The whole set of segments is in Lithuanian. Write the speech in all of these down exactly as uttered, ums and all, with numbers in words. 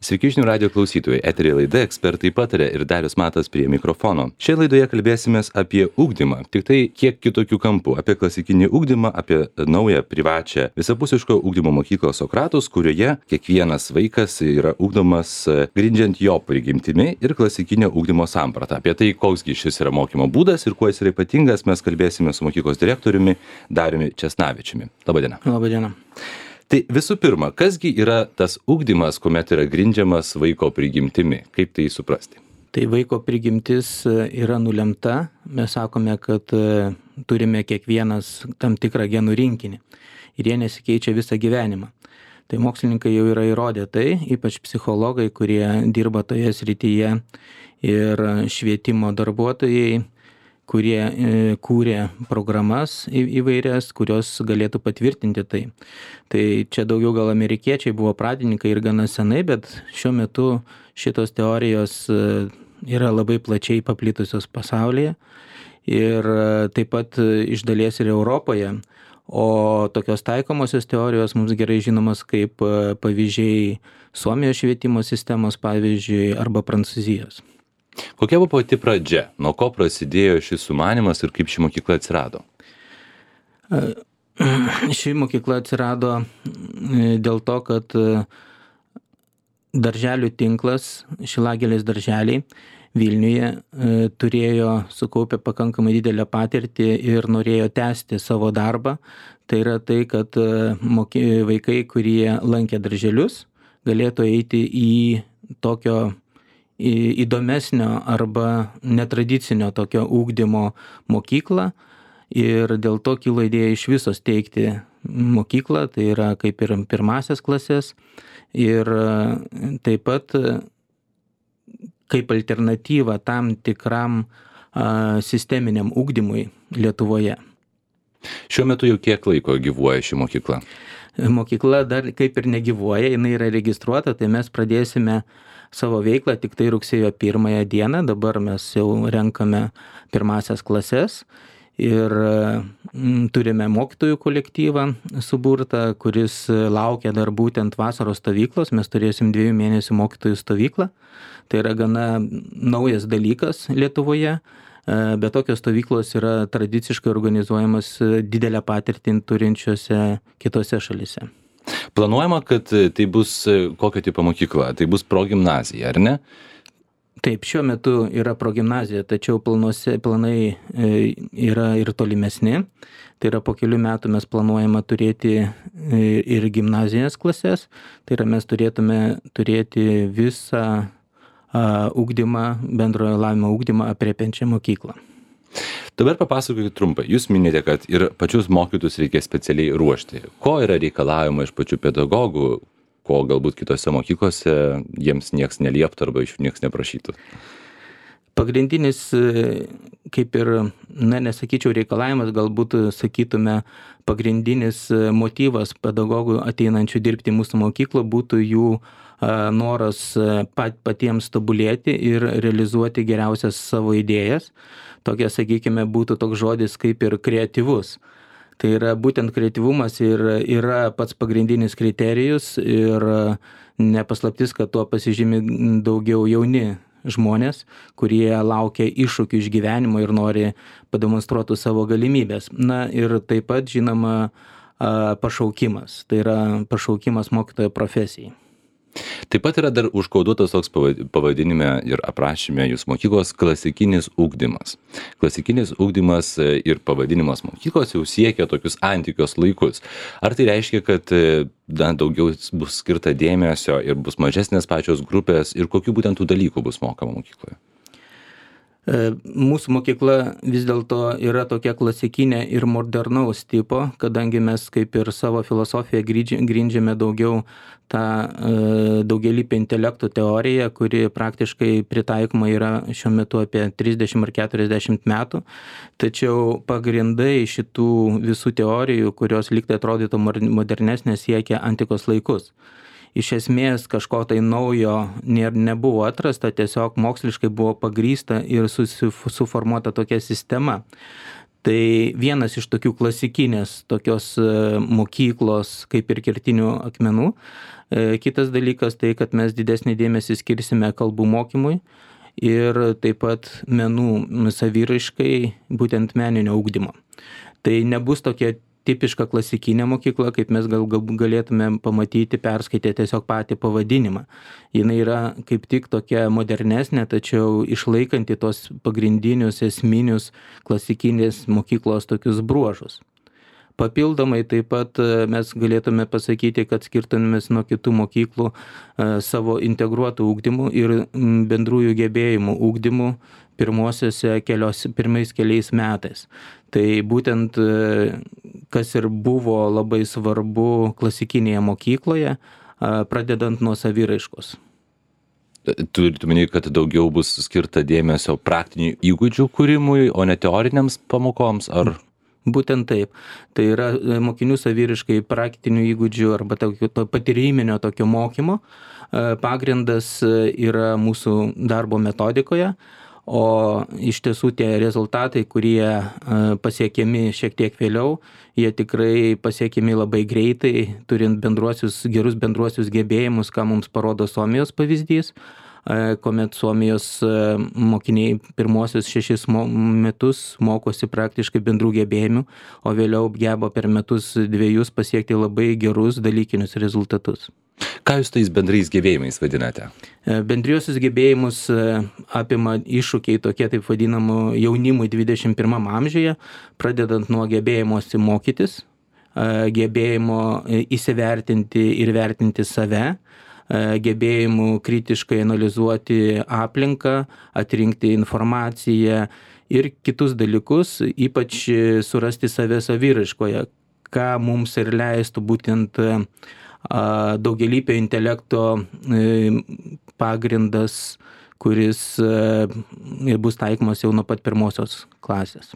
Sveiki žinių radijo klausytojai, eteryje laida Ekspertai pataria ir Darius Matas prie mikrofono. Šioje laidoje kalbėsimės apie ugdymą, tik tai kiek kitokių kampų, apie klasikinį ugdymą, apie naują privačią visapusiško ugdymo mokyklą Sokratus, kurioje kiekvienas vaikas yra ugdomas grindžiant jo prigimtimi ir klasikinio ugdymo sampratą. Apie tai, koksgi šis yra mokymo būdas ir kuo jis yra ypatingas, mes kalbėsime su mokyklos direktoriumi Dariumi Česnavičiumi. Labadiena. Labadiena. Tai visų pirma, kasgi yra tas ugdymas, kuomet yra grindžiamas vaiko prigimtimi? Kaip tai suprasti? Tai vaiko prigimtis yra nulemta. Mes sakome, kad turime kiekvienas tam tikrą genų rinkinį ir jie nesikeičia visą gyvenimą. Tai mokslininkai jau yra įrodę tai, ypač psichologai, kurie dirba toje srityje ir švietimo darbuotojai, kurie kūrė programas įvairias, kurios galėtų patvirtinti tai. Tai čia daugiau gal amerikiečiai buvo pradininkai ir gana senai, bet šiuo metu šitos teorijos yra labai plačiai paplitusios pasaulyje ir taip pat iš dalies ir Europoje. O tokios taikomosios teorijos mums gerai žinomas kaip pavyzdžiai Suomijos švietimo sistemos, pavyzdžiui, arba Prancūzijos. Kokia buvo pati pradžia? Nuo ko prasidėjo šis sumanymas ir kaip ši mokykla atsirado? Ši mokykla atsirado dėl to, kad darželių tinklas, Šilagėlės darželiai Vilniuje turėjo sukaupę pakankamai didelę patirtį ir norėjo tęsti savo darbą. Tai yra tai, kad vaikai, kurie lankė darželius, galėtų eiti į tokio įdomesnio arba netradicinio tokio ugdymo mokyklą ir dėl to kilo idėja iš viso steigti mokyklą, tai yra kaip ir pirmasias klases ir taip pat kaip alternatyva tam tikram a, sisteminiam ugdymui Lietuvoje. Šiuo metu jau kiek laiko gyvuoja ši mokykla? Mokykla dar kaip ir negyvuoja, jinai yra registruota, tai mes pradėsime savo veiklą tik tai rugsėjo pirmąją dieną, dabar mes jau renkame pirmasias klases ir m, turime mokytojų kolektyvą suburtą, kuris laukia dar būtent vasaros stovyklos, mes turėsim dviejų mėnesių mokytojų stovyklą, tai yra gana naujas dalykas Lietuvoje, bet tokios stovyklos yra tradiciškai organizuojamas didelę patirtį turinčiose kitose šalyse. Planuojama, kad tai bus kokio tipo mokykla? Tai bus progimnazija, ar ne? Taip, šiuo metu yra progimnazija, tačiau planuose, planai yra ir tolimesni. Tai yra po kelių metų mes planuojame turėti ir gimnazijos klases. Tai yra mes turėtume turėti visą ugdymą, bendrojo lavinimo ugdymą aprėpiančią mokyklą. Dabar papasakokit trumpai. Jūs minite, kad ir pačius mokytus reikia specialiai ruošti. Ko yra reikalaujama iš pačių pedagogų, ko galbūt kitose mokyklose jiems nieks nelieptų arba iš jų nieks neprašytų? Pagrindinis, kaip ir, na, nesakyčiau reikalavimas, galbūt sakytume, pagrindinis motyvas pedagogų ateinančių dirbti į mūsų mokyklą būtų jų noras pat, patiems tobulėti ir realizuoti geriausias savo idėjas. Tokia, sakykime, būtų toks žodis kaip ir kreatyvus. Tai yra būtent kreatyvumas ir yra pats pagrindinis kriterijus ir nepaslaptis, kad tuo pasižymi daugiau jauni žmonės, kurie laukia iššūkių iš gyvenimo ir nori pademonstruoti savo galimybės. Na ir taip pat, žinoma, pašaukimas. Tai yra pašaukimas mokytojo profesijai. Taip pat yra dar užkoduotas toks pavadinime ir aprašyme jūsų mokyklos klasikinis ugdymas. Klasikinis ugdymas ir pavadinimas mokyklos jau siekia tokius antikos laikus. Ar tai reiškia, kad na, daugiau bus skirta dėmesio ir bus mažesnės pačios grupės ir kokių būtent tų dalykų bus mokama mokykloje? Mūsų mokykla vis dėlto yra tokia klasikinė ir modernaus tipo, kadangi mes kaip ir savo filosofiją grindžiame daugiau tą daugelįpę intelektų teoriją, kuri praktiškai pritaikoma yra šiuo metu apie trisdešimt ar keturiasdešimt metų. Tačiau pagrindai šitų visų teorijų, kurios lygtai atrodytų modernesnės, siekia antikos laikus. Iš esmės kažko tai naujo nebuvo atrasta, tiesiog moksliškai buvo pagrįsta ir suformuota tokia sistema. Tai vienas iš tokių klasikinės tokios mokyklos kaip ir kertinių akmenų. Kitas dalykas tai, kad mes didesnį dėmesį skirsime kalbų mokymui ir taip pat menų saviraiškai, būtent meninio ugdymo. Tai nebus tokia tipiška klasikinė mokykla, kaip mes gal, gal galėtume pamatyti, perskaitę tiesiog patį pavadinimą. Jis yra kaip tik tokia modernesnė, tačiau išlaikanti tos pagrindinius esminius klasikinės mokyklos tokius bruožus. Papildomai taip pat mes galėtume pasakyti, kad skirtumės nuo kitų mokyklų savo integruotų ugdymų ir bendrųjų gebėjimų ugdymų pirmosiuose kelios, pirmais keliais metais. Tai būtent kas ir buvo labai svarbu klasikinėje mokykloje, pradedant nuo saviraiškos. Turite omeny, kad daugiau bus skirta dėmesio praktinių įgūdžių kūrimui, o ne teoriniams pamokoms, ar... Būtent taip. Tai yra mokinių saviraiškai praktinių įgūdžių arba tokio patyriminio tokio mokymo. Pagrindas yra mūsų darbo metodikoje, o iš tiesų tie rezultatai, kurie pasiekiami šiek tiek vėliau, jie tikrai pasiekiami labai greitai, turint bendruosius, gerus bendruosius gebėjimus, ką mums parodo Suomijos pavyzdys, kuomet Suomijos mokiniai pirmosius šešis metus mokosi praktiškai bendrų gebėjimų, o vėliau geba per metus dviejus pasiekti labai gerus dalykinius rezultatus. Ką jūs tais bendrais gebėjimais vadinate? Bendriosius gebėjimus apima iššūkiai tokie taip vadinamų jaunimui dvidešimt pirmam amžiuje, pradedant nuo gebėjimosi mokytis, gebėjimo įsivertinti ir vertinti save, gebėjimų kritiškai analizuoti aplinką, atrinkti informaciją ir kitus dalykus, ypač surasti save saviraiškoje, ką mums ir leistų būtent daugialypio intelekto pagrindas, kuris bus taikomas jau nuo pat pirmosios klasės.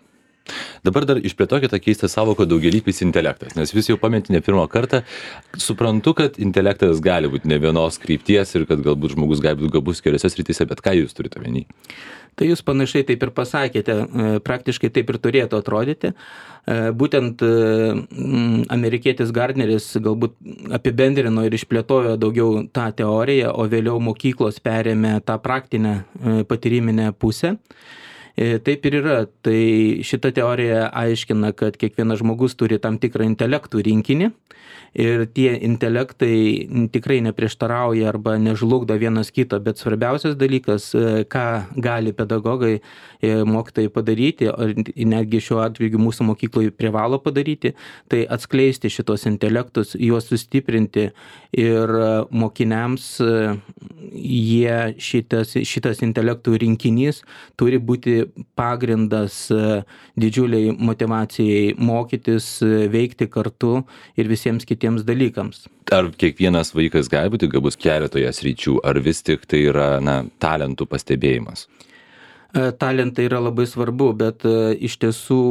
Dabar dar išplėtokite tą keistą savoką daugialypis intelektas, nes vis jau paminėti ne pirmą kartą. Suprantu, kad intelektas gali būti ne vienos krypties ir kad galbūt žmogus gali būti gabus keliose srityse, bet ką jūs turite omeny? Tai jūs panašiai taip ir pasakėte, praktiškai taip ir turėtų atrodyti. Būtent amerikietis Gardneris galbūt apibendrino ir išplėtojo daugiau tą teoriją, o vėliau mokyklos perėmė tą praktinę patyriminę pusę. Taip ir yra. Tai šita teorija aiškina, kad kiekvienas žmogus turi tam tikrą intelektų rinkinį ir tie intelektai tikrai neprieštarauja arba nežlugdo vienas kito, bet svarbiausias dalykas, ką gali pedagogai, mokytojai padaryti, ir netgi šiuo atveju mūsų mokykloje privalo padaryti, tai atskleisti šitos intelektus, juos sustiprinti ir mokiniams jie šitas, šitas intelektų rinkinys turi būti pagrindas didžiuliai motyvacijai mokytis, veikti kartu ir visiems kitiems dalykams. Ar kiekvienas vaikas gali būti gabus keletoje sričių, ar vis tik tai yra na, talentų pastebėjimas? Talentai yra labai svarbu, bet iš tiesų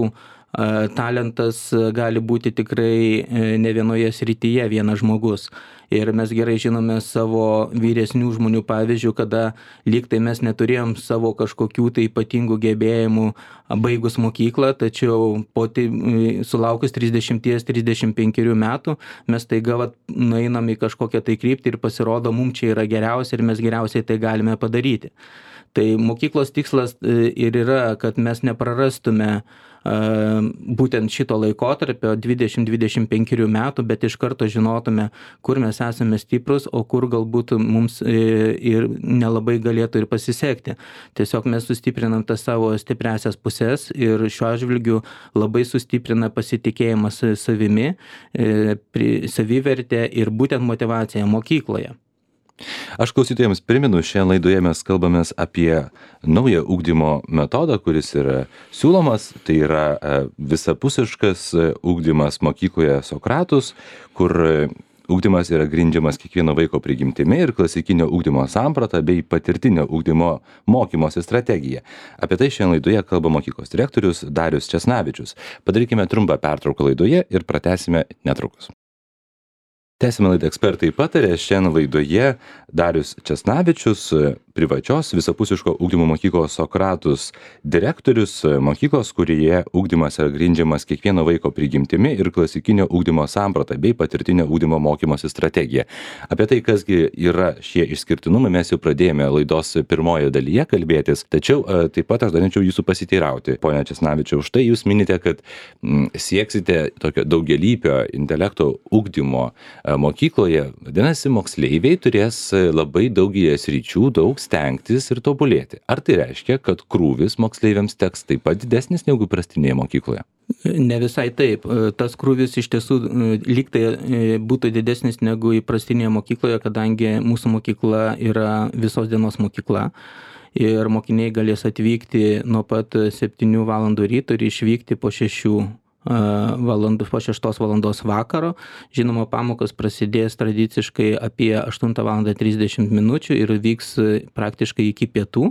talentas gali būti tikrai ne vienoje srityje vienas žmogus. Ir mes gerai žinome savo vyresnių žmonių pavyzdžių, kada lyg tai mes neturėjom savo kažkokių tai ypatingų gebėjimų baigus mokyklą, tačiau po tai, sulaukus trisdešimt trisdešimt penkerių metų mes taiga vat, nueinam į kažkokią tai kryptį ir pasirodo, mums čia yra geriausia ir mes geriausiai tai galime padaryti. Tai mokyklos tikslas ir yra, kad mes neprarastume būtent šito laikotarpio dvidešimt dvidešimt penkerių metų, bet iš karto žinotume, kur mes esame stiprus, o kur galbūt mums ir nelabai galėtų ir pasisekti. Tiesiog mes sustiprinam tas savo stipriasias pusės ir šiuo atžvilgiu labai sustiprina pasitikėjimas savimi, savivertė ir būtent motyvacija mokykloje. Aš klausytojams priminu, šiandien laidoje mes kalbamės apie naują ugdymo metodą, kuris yra siūlomas. Tai yra visapusiškas ugdymas mokykloje Sokratus, kur ugdymas yra grindžiamas kiekvieno vaiko prigimtimi ir klasikinio ugdymo samprata bei patirtinio ugdymo mokymosi strategija. Apie tai šiandien laidoje kalba mokyklos direktorius Darius Česnavičius. Padarykime trumpą pertrauką laidoje ir pratęsime netrukus. Tęsime laidą Ekspertai pataria. Šiandien laidoje Darius Česnavičius, privačios visapusiško ugdymo mokyklos Sokratus direktorius, mokyklos, kurioje ugdymas yra grindžiamas kiekvieno vaiko prigimtimi ir klasikinio ugdymo samprata bei patirtinio ugdymo mokymosi strategija. Apie tai, kasgi yra šie išskirtinumai, mes jau pradėjome laidos pirmojoje dalyje kalbėtis, tačiau taip pat aš norėčiau jūsų pasiteirauti. Pone Česnavičiau, štai jūs minite, kad m, sieksite tokio daugialypio intelekto ugdymo mokykloje. Vadinasi, moksleiviai turės labai daugelį sričių daug stengtis ir tobulėti. Ar tai reiškia, kad krūvis moksleiviams teks taip pat didesnis negu prastinėje mokykloje? Ne visai taip. Tas krūvis iš tiesų lyg tai būtų didesnis negu įprastinėje mokykloje, kadangi mūsų mokykla yra visos dienos mokykla. Ir mokiniai galės atvykti nuo pat septynių valandų ryto ir išvykti po šešių valandų, po šeštos valandos vakaro. Žinoma, pamokos prasidės tradiciškai apie aštuntą valandą trisdešimt minučių ir vyks praktiškai iki pietų.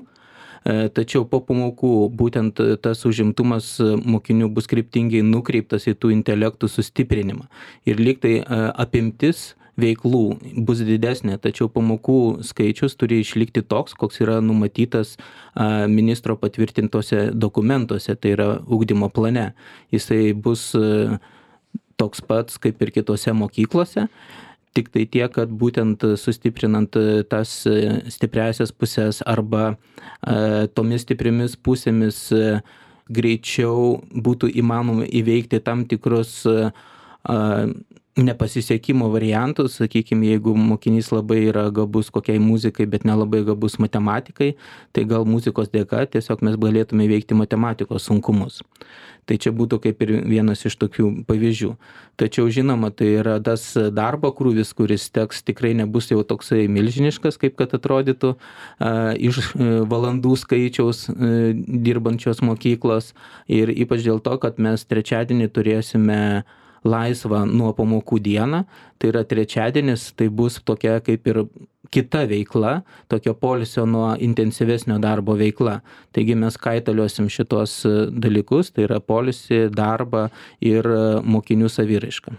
Tačiau po pamokų būtent tas užimtumas mokinių bus kryptingai nukreiptas į tų intelektų sustiprinimą. Ir lyg tai apimtis veiklų bus didesnė, tačiau pamokų skaičius turi išlikti toks, koks yra numatytas ministro patvirtintose dokumentuose, tai yra ugdymo plane. Jisai bus toks pats kaip ir kitose mokyklose, tik tai tiek, kad būtent sustiprinant tas stipriasias pusės arba tomis stipriamis pusėmis greičiau būtų įmanoma įveikti tam tikrus nepasisekimo variantus, sakykime, jeigu mokinys labai yra gabus kokiai muzikai, bet nelabai gabus matematikai, tai gal muzikos dėka tiesiog mes galėtume įveikti matematikos sunkumus. Tai čia būtų kaip ir vienas iš tokių pavyzdžių. Tačiau žinoma, tai yra tas darbo krūvis, kuris teks tikrai nebus jau toksai milžiniškas, kaip kad atrodytų iš valandų skaičiaus dirbančios mokyklos. Ir ypač dėl to, kad mes trečiadienį turėsime laisvą nuo pamokų dieną, tai yra trečiadienis, tai bus tokia kaip ir kita veikla, tokio poilsio nuo intensyvesnio darbo veikla. Taigi mes kaitaliosim šitos dalykus, tai yra poilsį, darbą ir mokinių saviraišką.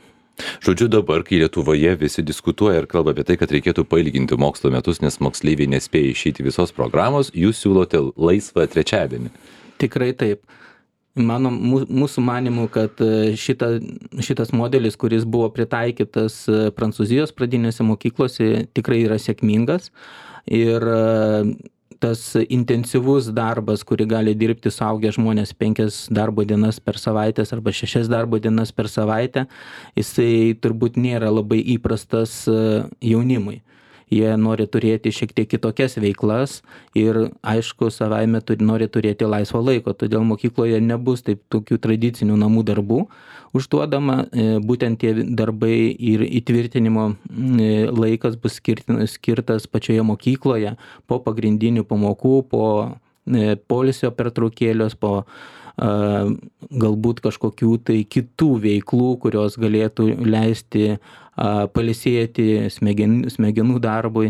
Žodžiu, dabar, kai Lietuvoje visi diskutuoja ir kalba apie tai, kad reikėtų pailginti mokslo metus, nes moksleiviai nespėja išeiti visos programos, jūs siūlote laisvą trečiadienį. Tikrai taip. Mano, mūsų manimų, kad šita, šitas modelis, kuris buvo pritaikytas Prancūzijos pradinėse mokyklose, tikrai yra sėkmingas. Ir tas intensyvus darbas, kurį gali dirbti suaugę žmonės penkias darbo dienas per savaitę arba šešias darbo dienas per savaitę, jisai turbūt nėra labai įprastas jaunimui. Jie nori turėti šiek tiek kitokias veiklas ir, aišku, savaime nori turėti laisvo laiko, todėl mokykloje nebus taip tokių tradicinių namų darbų užduodama, būtent tie darbai ir įtvirtinimo laikas bus skirtas pačioje mokykloje po pagrindinių pamokų, po poilsio pertraukėlios, po galbūt kažkokių tai kitų veiklų, kurios galėtų leisti pailsėti smegenų, smegenų darbui,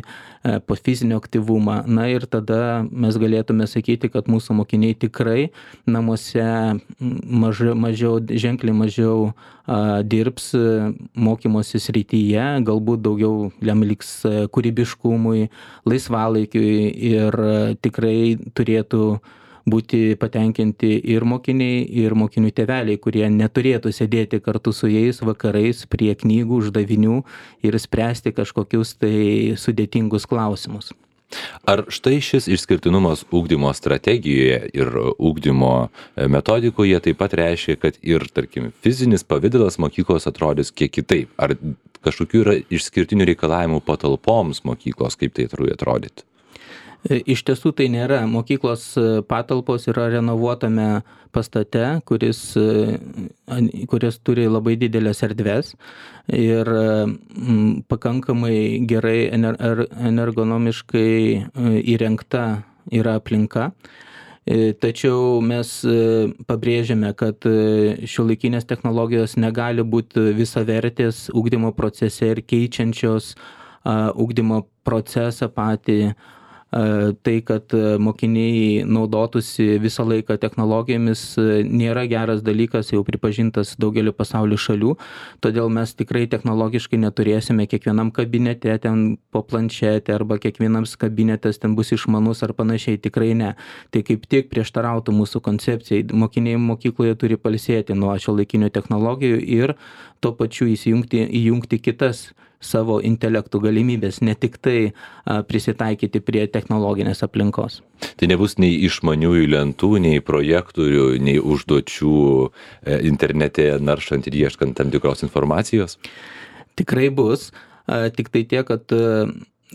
po fizinio aktyvumą. Na ir tada mes galėtume sakyti, kad mūsų mokiniai tikrai namuose mažiau, mažiau, ženkliai mažiau a, dirbs mokymosi srityje, galbūt daugiau jam liks kūrybiškumui, laisvalaikiui ir tikrai turėtų būti patenkinti ir mokiniai, ir mokinių tėveliai, kurie neturėtų sėdėti kartu su jais vakarais prie knygų, uždavinių ir spręsti kažkokius tai sudėtingus klausimus. Ar štai šis išskirtinumas ugdymo strategijoje ir ugdymo metodikoje taip pat reiškia, kad ir, tarkim, fizinis pavidalas mokyklos atrodys kiek kitaip? Ar kažkokių yra išskirtinių reikalavimų patalpoms mokyklos, kaip tai turi atrodyti? Iš tiesų tai nėra. Mokyklos patalpos yra renovuotame pastate, kuris, kuris turi labai didelės erdves ir pakankamai gerai energonomiškai įrengta yra aplinka. Tačiau mes pabrėžiame, kad šiuolaikinės technologijos negali būti visavertės ugdymo procese ir keičiančios ugdymo procesą patį Tai, kad mokiniai naudotųsi visą laiką technologijomis, nėra geras dalykas, jau pripažintas daugeliu pasaulio šalių, todėl mes tikrai technologiškai neturėsime kiekvienam kabinete ten po planšetę arba kiekvienams kabinetas ten bus išmanus ar panašiai, tikrai ne. Tai kaip tik prieštarautų mūsų koncepcijai. Mokiniai mokykloje turi pailsėti nuo šiuolaikinių technologijų ir tuo pačiu įsijungti, įjungti kitas savo intelektų galimybės, ne tik tai a, prisitaikyti prie technologinės aplinkos. Tai nebus nei išmaniųjų lentų, nei projektorių, nei užduočių e, internete naršant ir ieškant tam tikros informacijos? Tikrai bus, a, tik tai tiek, kad a,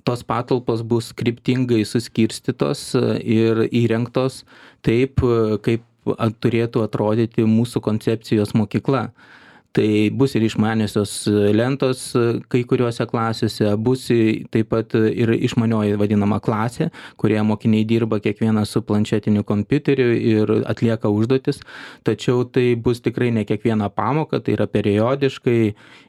tos patalpos bus kryptingai suskirstytos a, ir įrengtos taip, a, kaip a, turėtų atrodyti mūsų koncepcijos mokykla. Tai bus ir išmaniosios lentos kai kuriuose klasėse, bus taip pat ir išmanioji vadinama klasė, kurioje mokiniai dirba kiekvienas su planšetiniu kompiuteriu ir atlieka užduotis, tačiau tai bus tikrai ne kiekviena pamoka, tai yra periodiškai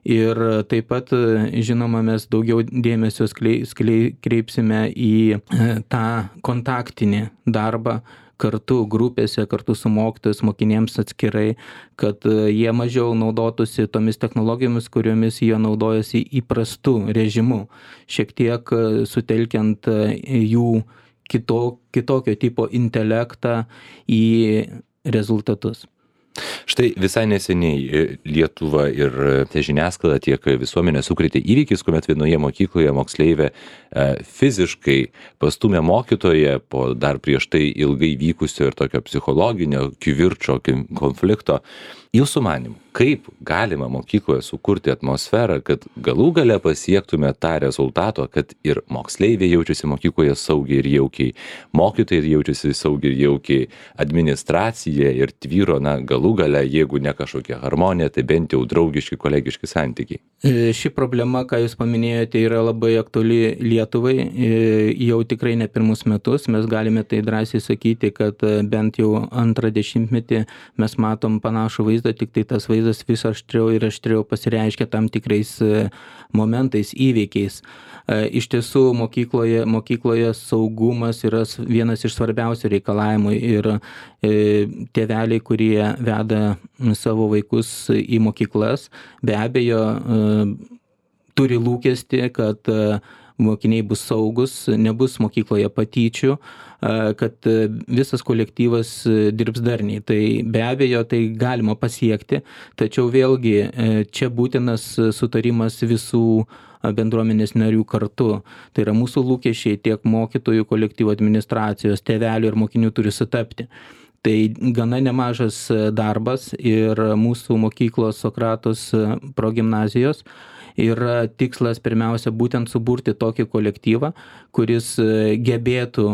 ir taip pat, žinoma, mes daugiau dėmesio sklei, sklei, kreipsime į tą kontaktinį darbą, kartu grupėse, kartu su mokytojais, mokinėms atskirai, kad jie mažiau naudotųsi tomis technologijomis, kuriomis jie naudojasi įprastu režimu, šiek tiek sutelkiant jų kito, kitokio tipo intelektą į rezultatus. Štai visai neseniai Lietuva ir tiek žiniasklaida, tiek visuomenė sukrėtė įvykis, kuomet vienoje mokykloje moksleivė fiziškai pastumė mokytoją po dar prieš tai ilgai vykusio ir tokio psichologinio kivirčo, konflikto. Jūsų manymu, kaip galima mokykloje sukurti atmosferą, kad galų gale pasiektume tą rezultato, kad ir moksleiviai jaučiasi mokykloje saugiai ir jaukiai, mokytojai jaučiasi saugiai ir jaukiai, administracija ir tvyro, na, galų gale, jeigu ne kažkokia harmonija, tai bent jau draugiški, kolegiški santykiai. Ši problema, ką jūs paminėjote, yra labai aktuali Lietuvai, jau tikrai ne pirmus metus. Mes galime tai drąsiai sakyti, kad bent jau antrą dešimtmetį mes matom panašų vaizdą, tik tai tas vaizdas vis aštriau ir aštriau pasireiškia tam tikrais momentais, įvykiais. Iš tiesų, mokykloje, mokykloje saugumas yra vienas iš svarbiausių reikalavimų ir tėveliai, kurie veda savo vaikus į mokyklas, be abejo turi lūkestį, kad mokiniai bus saugus, nebus mokykloje patyčių, kad visas kolektyvas dirbs darniai. Tai be abejo, tai galima pasiekti, tačiau vėlgi čia būtinas sutarimas visų bendruomenės narių kartu. Tai yra mūsų lūkesčiai tiek mokytojų, kolektyvo administracijos, tėvelių ir mokinių turi sutapti. Tai gana nemažas darbas ir mūsų mokyklos Sokratos progimnazijos yra tikslas pirmiausia būtent suburti tokį kolektyvą, kuris gebėtų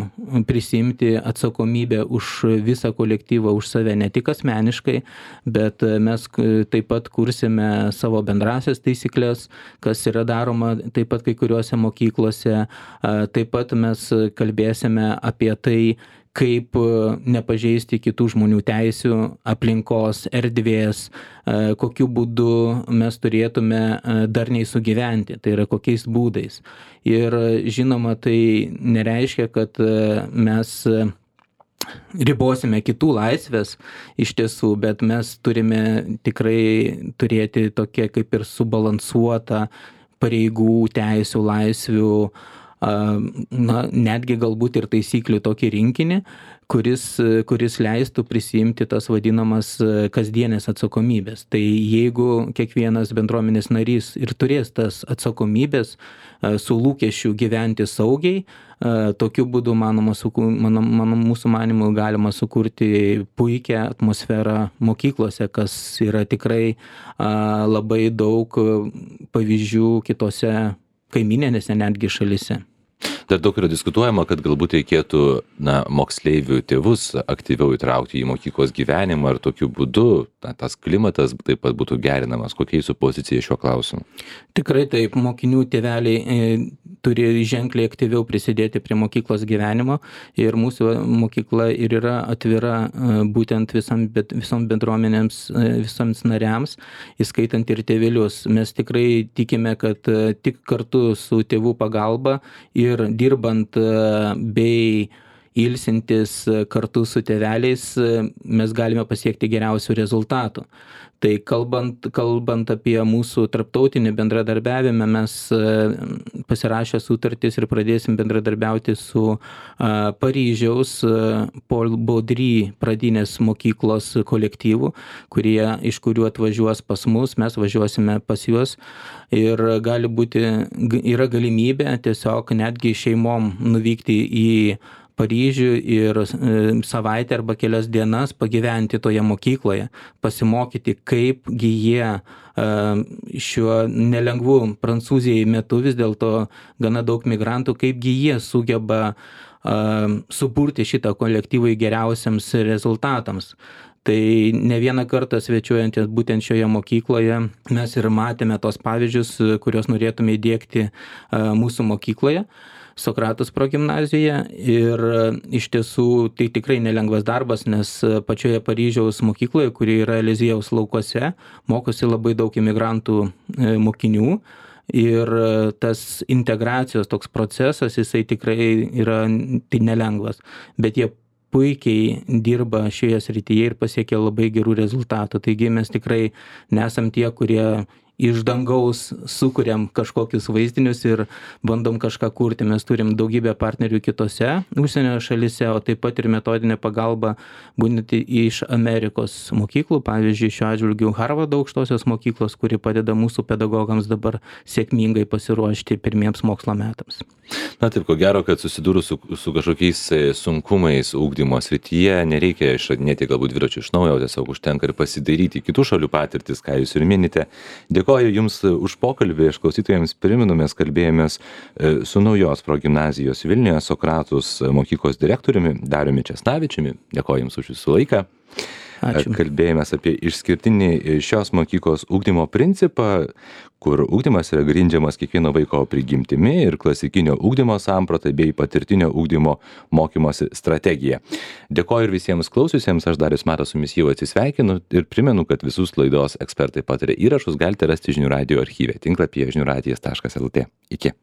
prisimti atsakomybę už visą kolektyvą, už save, ne tik asmeniškai, bet mes taip pat kursime savo bendrasias taisyklės, kas yra daroma taip pat kai kuriuose mokyklose. Taip pat mes kalbėsime apie tai, kaip nepažeisti kitų žmonių teisių, aplinkos, erdvės, kokiu būdu mes turėtume darniai sugyventi, tai yra kokiais būdais. Ir žinoma, tai nereiškia, kad mes ribosime kitų laisvės iš tiesų, bet mes turime tikrai turėti tokia kaip ir subalansuotą pareigų, teisių, laisvių, na, netgi galbūt ir taisyklių tokį rinkinį, kuris, kuris leistų prisiimti tas vadinamas kasdienės atsakomybės. Tai jeigu kiekvienas bendruomenės narys ir turės tas atsakomybės su lūkesčiu gyventi saugiai, tokiu būdu, manoma, mano, mano, mūsų manimu, galima sukurti puikią atmosferą mokyklose, kas yra tikrai labai daug pavyzdžių kitose kaimininėse netgi šalise. Dar daug yra diskutuojama, kad galbūt reikėtų na, moksleivių tėvus aktyviau įtraukti į mokyklos gyvenimą ir tokiu būdu na, tas klimatas taip pat būtų gerinamas? Kokia jūsų pozicija šiuo klausimu? Tikrai taip, mokinių tėveliai e, turi ženkliai aktyviau prisidėti prie mokyklos gyvenimo ir mūsų mokykla ir yra atvira e, būtent visam, bet, visom bendruomenėms, e, visoms nariams, įskaitant ir tėvelius. Mes tikrai tikime, kad e, tik kartu su tėvų pagalba ir dirbant e, bei ilsintis kartu su tėveliais, mes galime pasiekti geriausių rezultatų. Tai kalbant, kalbant apie mūsų tarptautinį bendradarbiavimą, mes pasirašę sutartis ir pradėsim bendradarbiauti su Paryžiaus Paul Baudry pradinės mokyklos kolektyvu, kurie, iš kurių atvažiuos pas mus, mes važiuosime pas juos ir gali būti, yra galimybė tiesiog netgi šeimom nuvykti į Paryžių ir savaitę arba kelias dienas pagyventi toje mokykloje, pasimokyti, kaipgi jie šiuo nelengvu Prancūzijai metu, vis dėlto gana daug migrantų, kaipgi jie sugeba suburti šitą kolektyvą į geriausiams rezultatams. Tai ne vieną kartą svečiuojantis būtent šioje mokykloje mes ir matėme tos pavyzdžius, kuriuos norėtume įdiegti mūsų mokykloje. Sokratos progimnazijoje ir iš tiesų tai tikrai nelengvas darbas, nes pačioje Paryžiaus mokykloje, kuri yra Eliziejaus laukuose, mokosi labai daug imigrantų mokinių ir tas integracijos toks procesas, jisai tikrai yra tai nelengvas, bet jie puikiai dirba šioje srityje ir pasiekia labai gerų rezultatų. Taigi mes tikrai nesam tie, kurie iš dangaus sukuriam kažkokius vaizdinius ir bandom kažką kurti. Mes turim daugybę partnerių kitose užsienio šalise, o taip pat ir metodinę pagalbą būtent iš Amerikos mokyklų. Pavyzdžiui, šiuo atžvilgiu Harvardo aukštosios mokyklos, kuri padeda mūsų pedagogams dabar sėkmingai pasiruošti pirmiems mokslo metams. Na taip, ko gero, kad susidūrus su, su kažkokiais sunkumais ugdymo srityje, nereikia išradinėti galbūt dviračių iš naujo, tiesiog užtenka ir pasidaryti kitų šalių patirtis, ką jūs ir minite. Dėkoju Jums už pokalbį, aš klausytojams priminu, mes kalbėjomės su naujos progimnazijos Vilniuje Sokratus mokyklos direktoriumi Dariumi Česnavičiumi. Dėkoju Jums už Jūsų laiką. Ačiū. Kalbėjomės apie išskirtinį šios mokyklos ugdymo principą, kur ugdymas yra grindžiamas kiekvieno vaiko prigimtimi ir klasikinio ugdymo samprata bei patirtinio ugdymo mokymosi strategija. Dėkoju ir visiems klausiusiems, aš Darius Matas su jumis jau atsisveikinu ir primenu, kad visus laidos Ekspertai pataria įrašus galite rasti žinių radijo archyve tinklapyje žinių radijas taškas lt. Iki.